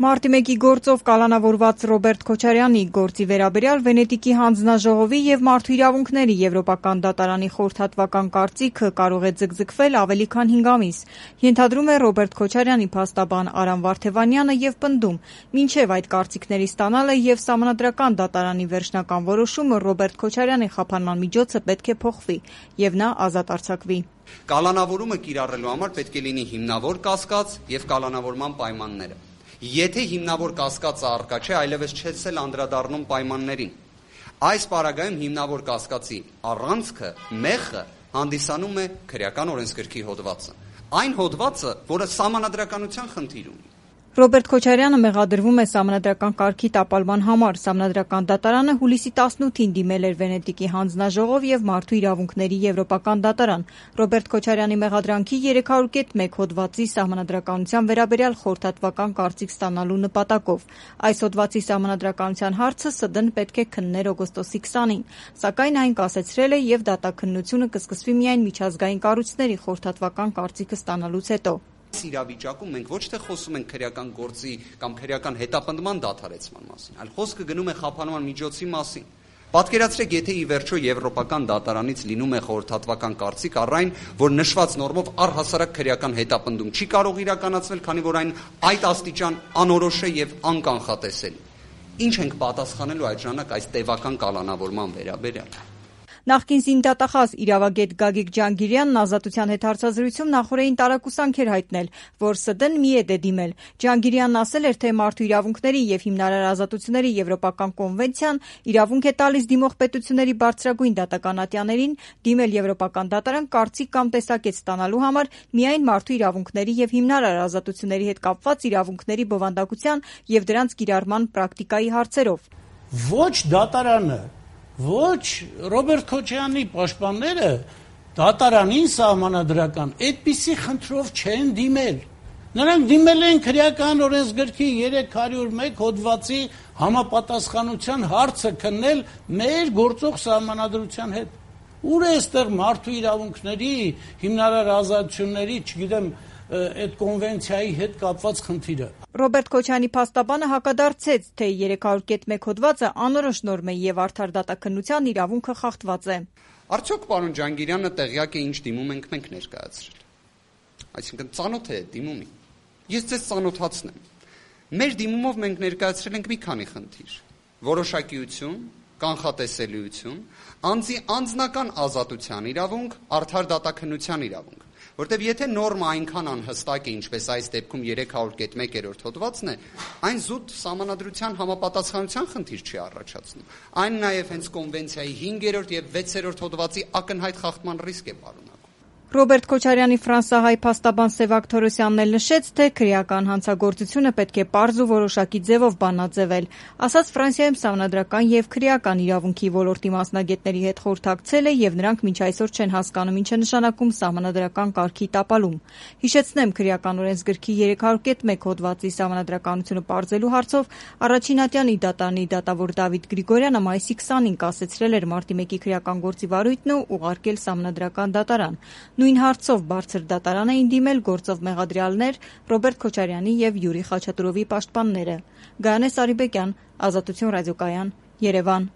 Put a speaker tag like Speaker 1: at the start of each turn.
Speaker 1: Մարտի 1-ի գործով կալանավորված Ռոբերտ Քոչարյանի գործի վերաբերյալ Վենետիկի հանձնաժողովի և Մարդու իրավունքների Եվրոպական դատարանի խորհրդատվական կարծիքը կարող է ձգձգվել ավելի քան 5 ամիս, ենթադրում է Ռոբերտ Քոչարյանի փաստաբան Արամ Վարդևանյանը և պնդում, մինչև այդ կարծիքների ստանալը և Սահմանադրական դատարանի վերջնական որոշումը Ռոբերտ Քոչարյանի խափանման միջոցը պետք է փոխվի և նա ազատ արձակվի։
Speaker 2: Կալանավորումը կիրառելու համար պետք է լինի հիմնավոր կասկած և կալանավորման պայմանները։ Եթե հիմնավոր կասկածը առկա չէ, այլևս չես էլ անդրադառնում պայմաններին։ Այս պարագայում հիմնավոր կասկածի առանցքը, մեխը հանդիսանում է քրեական օրենսգրքի հոդվածը։ Այն հոդվածը, որը սահմանադրականության խնդիր ունի։
Speaker 1: Ռոբերտ Քոչարյանը մեղադրվում է սահմանադրական կարգի տապալման համար։ Սահմանադրական դատարանը հուլիսի 18-ին դիմել էր Վենետիկի հանձնաժողով և Մարդու իրավունքների Եվրոպական դատարան Ռոբերտ Քոչարյանի մեղադրանքի 300.1 հոդվածի սահմանադրականության վերաբերյալ խորհրդատվական կարծիք ստանալու նպատակով։ Այս հոդվածի սահմանադրականության հարցը ՍԴ-ն պետք է քններ օգոստոսի 20-ին, սակայն այն կասեցրել է և դատաքննությունը կսկսվի միայն միջազգային կառույցների խորհրդատվական կարծիքը ստանալուց հետո։
Speaker 2: Այս իրավիճակում մենք ոչ թե խոսում ենք քրեական գործի կամ քրեական հետապնդման դադարեցման մասին, այլ խոսքը գնում է խափանման միջոցի մասին։ Պատկերացրեք, եթե ի վերջո Եվրոպական դատարանից լինում է խորհրդատվական կարծիք առ այն, որ նշված նորմով առհասարակ քրեական հետապնդում չի կարող իրականացվել, քանի որ այն այդ աստիճան անորոշ է և անկանխատեսելի։ Ինչ ենք պատասխանելու այդ ժամանակ այս տևական կալանավորման վերաբերյալ։
Speaker 1: Նախկին զինդատախազ իրավագետ Գագիկ Ջանգիրյանն Ազատության հետ հարցազրույցում նախօրեին տարակուսանք էր հայտնել, որ ՍԴ-ն մի է դիմել։ Ջանգիրյանն ասել էր, թե Մարդու իրավունքների և հիմնարար ազատությունների Եվրոպական կոնվենցիան իրավունք է տալիս դիմող պետությունների բարձրագույն դատական ատյաներին դիմել Եվրոպական դատարան կարծիք կամ տեսակետ ստանալու համար միայն մարդու իրավունքների և հիմնարար ազատությունների հետ կապված իրավունքների բովանդակության և դրանց կիրառման պրակտիկայի հարցերով։
Speaker 3: Ոչ դատարանը, ոչ Ռոբերտ Քոչարյանի պաշտպանները դատարանին սահմանադրական այդպիսի խնդրով չեն դիմել։ Նրանք դիմել են քրեական օրենսգրքի 301 հոդվածի համապատասխանության հարցը քննել մեր գործող սահմանադրության հետ։ Ուր է այստեղ մարդու իրավունքների, հիմնարար ազատությունների, չգիտեմ, այդ կոնվենցիայի հետ կապված խնդիրը։
Speaker 1: Ռոբերտ Քոչարյանի փաստաբանը հակադարձեց, թե 300.1 հոդվածը անորոշ նորմ է և արդար դատաքննության իրավունքը խախտված է։
Speaker 2: Արդյոք պարոն Ջանգիրյանը տեղյակ է ինչ դիմում ենք մենք ներկայացրել։ Այսինքն ծանոթ է դիմումի։ Ես ձեզ ծանոթացնեմ։ Մեր դիմումով մենք ներկայացրել ենք մի քանի խնդիր։ Որոշակիություն, կանխատեսելիություն, անձի անձնական ազատության իրավունք, արդար դատաքննության իրավունք։ Որտեւ եթե նորմը այնքան անհստակ է, ինչպես այս դեպքում 300.1 հոդվածն է, այն զուտ սահմանադրության համապատասխանության խնդիր չի առաջացնում։ Այն նաև հենց կոնվենցիայի 5-րդ եւ 6-րդ հոդվածի ակնհայտ խախտման ռիսկ է պարունակում։
Speaker 1: Ռոբերտ Քոչարյանի ֆրանսահայ փաստաբան Սևակ Թորոսյանն էլ նշեց, թե քրեական հանցագործությունը պետք է պարզ ու որոշակի ձևով բանաձևել։ Ասաց Ֆրանսիայում սահմանադրական եւ քրեական իրավունքի ոլորտի մասնագետների հետ խորհրդակցել է եւ նրանք մինչ այսօր չեն հասկանում ինչ է նշանակում սահմանադրական կարգի տապալում։ Հիշեցնեմ, քրեական օրենսգրքի 300.1 հոդվածի սահմանադրականությունը պարզելու հարցով առաջին ատյանի դատարանի դատավոր Դավիթ Գրիգորյանը մայիսի 20-ին կասեցրել էր Մարտի 1-ի քրեական գործի վարույթն ու ուղարկել սահմանադրական դատարան։ Նույն հարցով բարձր դատարան էին դիմել գործով մեղադրյալներ Ռոբերտ Քոչարյանի և Յուրի Խաչատուրովի պաշտպանները։ Գայանե Սարիբեկյան, Ազատություն ռադիոկայան, Երևան։